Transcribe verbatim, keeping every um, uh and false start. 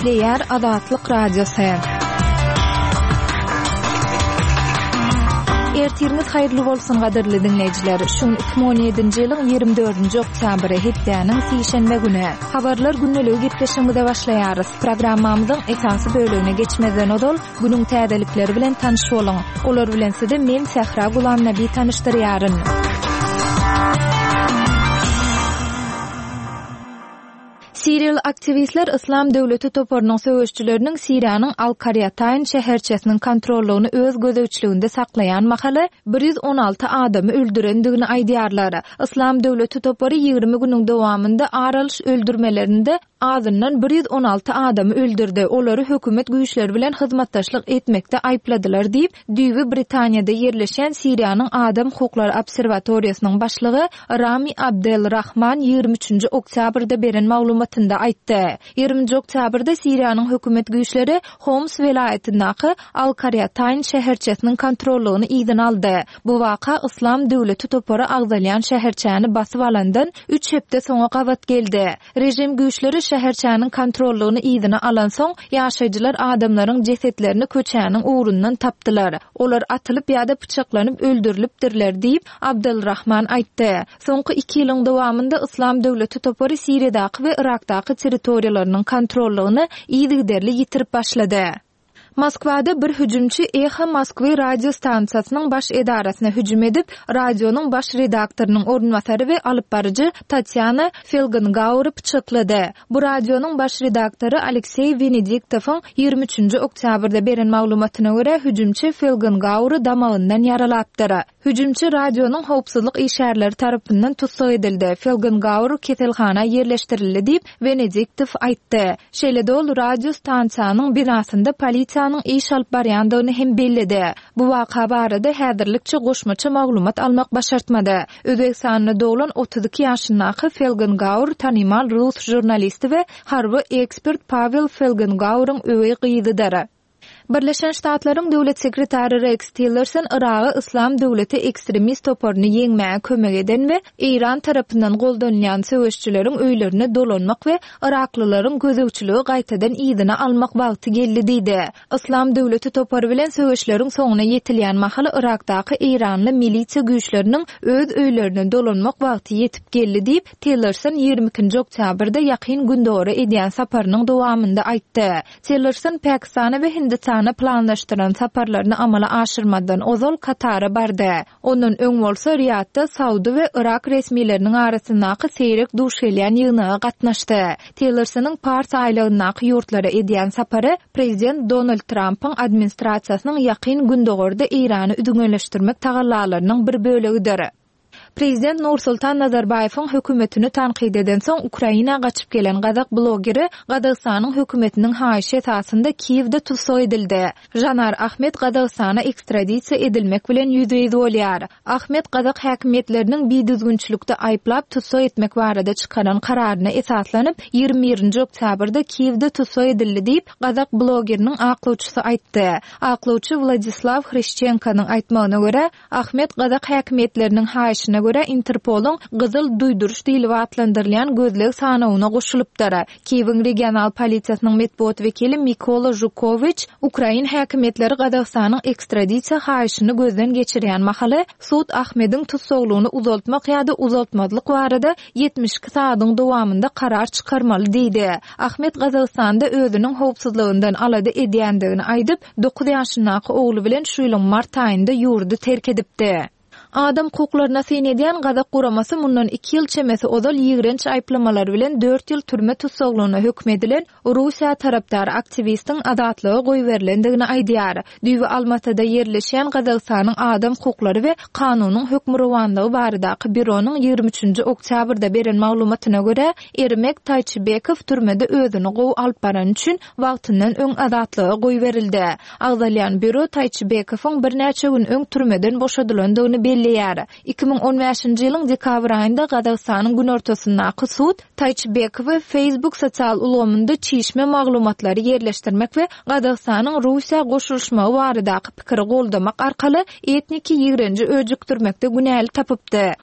Gepleýär Azatlyk Radiosy. Ertiriňiz haýyrly bolsun gadyrly diňleýjiler. Şu gün iki müň on ýedinji ýylyň ýigrimi dördünji oktýabry, hepdäniň sişenbe güni. Habarlar gündeligi gepleşigimize başlaýarys. Programmamyzyň esasy bölegine geçmezden ozal, günüň täzelikleri bilen tanyş boluň. Olar bilen sizi men Sähra Gulamnabi tanyşdyrýaryn. Siriýaly aktiwistler Yslam döwleti toparynyň söweşçileriniň Siriýanyň Al-Karýataýn şäherçesiniň kontrollygyny öz gözegçiliginde saklaýan mahaly bir ýüz on alty adamy öldürendigini aýdýarlar. Yslam döwleti topary ýigrimi günüň dowamynda ar alyş öldürmelerinde azyndan bir ýüz on alty adamy öldürdi, olary hökümet güýçleri bilen hyzmatdaşlyk etmekde aýypladylar diýip, düýbi Britaniýada ýerleşýän Siriýanyň Adam hukuklary obserwatoriýasynyň başlygy Rami Abdel Rahman ýigrimi üçünji oktýabrda beren maglumatynda aýtdy. Ýigriminji oktýabrda Siriýanyň hökümet güýçleri Homs welaýatyndaky Al-Karýataýn şäherçesiniň kontrollygyny yzyna aldy. Bu waka Yslam döwleti topary agzalýan şäherçäni basyp alandan üç hepde soňa gabat geldi. Režim güýçleri şäherçäniň kontrollygyny yzyna alansoň, ýaşaýjylar adamlaryň jesetlerini köçäniň ugrundan tapdylar. Olar atylyp ýa-da pyçaklanyp öldürilipdirler diýip, Abdylrahman aýtdy. Soňky iki ýylyň dowamynda Yslam döwleti topary Siriýadaky we Yrakdaky territoriýalarynyň kontrollygyny yzygiderli ýitirip başlady. Moskwada bir hüjümçi Eho Moskwy radio stansiýasynyň baş edarasyna hüjüm edip, radionyň baş redaktorynyň orunbasary we alyp baryjy Tatýana Felgengaury pyçaklady. Bu radionyň baş redaktory Alekseý Wenediktowyň ýigrimi üçünji oktýabrda beren maglumatyna görä, hüjümçi Felgengaury damagyndan ýaralapdyr. Hüjümçi radionyň howpsuzlyk işgärleri tarapyndan tussag edildi, Felgengaur keselhana ýerleşdirildi diýip, Wenediktow aýtdy. Şeýle-de ol radio stansiýanyň binasynda polisiýanyň iş alyp barýandygyny hem belledi. Bu waka barada häzirlikçe goşmaça maglumat almak başartmady. Özbegistanda doglan otuz iki ýaşyndaky Felgengaur tanymal rus žurnalisti we harby ekspert Pawel Felgengauryň öweý gyzydyr. Birleşen Ştatlaryň Döwlet sekretary Reks Tillerson Yragy Yslam döwleti ekstremist toparyny ýeňmäge kömek eden we Eýran tarapyndan goldanylýan söweşçileriň öýlerine dolanmak we yraklylaryň gözegçiligi gaýtadan yzyna almak wagty geldi diýdi. Yslam döwleti topary bilen söweşleriň soňuna ýetilýän mahaly Yrakdaky eýranly milisiýa güýçleriniň öz öýlerine dolanmak wagty ýetip geldi diýip, Tillerson ýigrimi ikinji oktýabrda Ýakyn Gündogara edýän saparynyň dowamynda aýtdy. Tillerson Pakistana we Hindistana planlaşdyran saparlaryny amala aşyrmazdan ozal Katara bardy. Ondan öň bolsa Riýadda Saudy we Yrak resmileriniň arasyndaky seýrek duş gelýän ýygnaga gatnaşdy. Tillersonyň Pars aýlagyndaky ýurtlara edýän sapary prezident Donald Trampyň administrasiýasynyň Ýakyn Gündogarda Eýrany üzňeleşdirmek tagallalarynyň bir bölegidir. Prezident Nursultan Nazarbaýewiň hökümetini tankyt edensoň Ukraina gaçyp gelen gazak blogeri Gazagystanyň hökümetiniň haýyşy esasynda Kiýewde tussag edildi. Žanar Ahmet Gazagystana ekstradisiýa edilmek bilen ýüzbe-ýüz bolýar. Ahmet gazak häkimiýetleriniň bidüzgünçilikde aýyplap tussag etmek barada çykaran kararyna esaslanyp, ýigrimi birinji oktýabrda Kiýewde tussag edildi diýip, gazak blogeriniň aklawçysy aýtdy. Aklawçy Wladislaw Hryşçenkonyň aýtmagyna görä, Ahmet gazak häkimiýetleriniň haýyşyna görä Interpoluň Gyzyl duýduryş diýlip atlandyrylýan gözleg sanawyna goşulypdyr. Kiýewiň regional polisiýasynyň metbugat wekili Mikola Žukowiç ukrain häkimiýetleri Gazagystanyň ekstradisiýa haýyşyny gözden geçirýän mahaly sud Ahmediň tussaglygyny uzaltmak ýa-da uzaltmazlyk barada ýetmiş iki sagadyň dowamynda karar çykarmaly diýdi. Ahmet Gazagystanda özüniň howpsuzlygyndan alada edýändigini aýdyp, dokuz ýaşyndaky ogly bilen şu ýylyň mart aýynda ýurdy terk edipdi. Adam hukuklaryna syn edýän gazak guramasy mundan iki ýyl çemesi ozal ýigrenç aýyplamalary bilen dört ýyl türme tussaglygyna höküm edilen Russiýa tarapdar aktiwistiň azatlyga goýberilendigini aýdýar. Düýbi Almatyda ýerleşýän Gazagystanyň adam hukuklary we kanunyň hökmürowanlygy baradaky býuronyň ýigrimi üçünji oktýabrda beren maglumatyna görä, Ermek Taýçybekow türmede özüni gowy alyp barany üçin wagtyndan öň azatlyga goýberildi. Agzalýan býuro Taýçybekowyň birnäçe gün öň türmeden boşadylandygyny belleýär. Iki müň on bäşinji ýylyň dekabr aýynda Gazagystanyň günortasyndaky sud Taýçybekowy Facebook sosial ulgamynda çişme maglumatlary ýerleşdirmek we Gazagystanyň Russiýa goşulyşmagy baradaky pikiri goldamak arkaly etniki ýigrenji öjükdirmekde günäli tapypdy.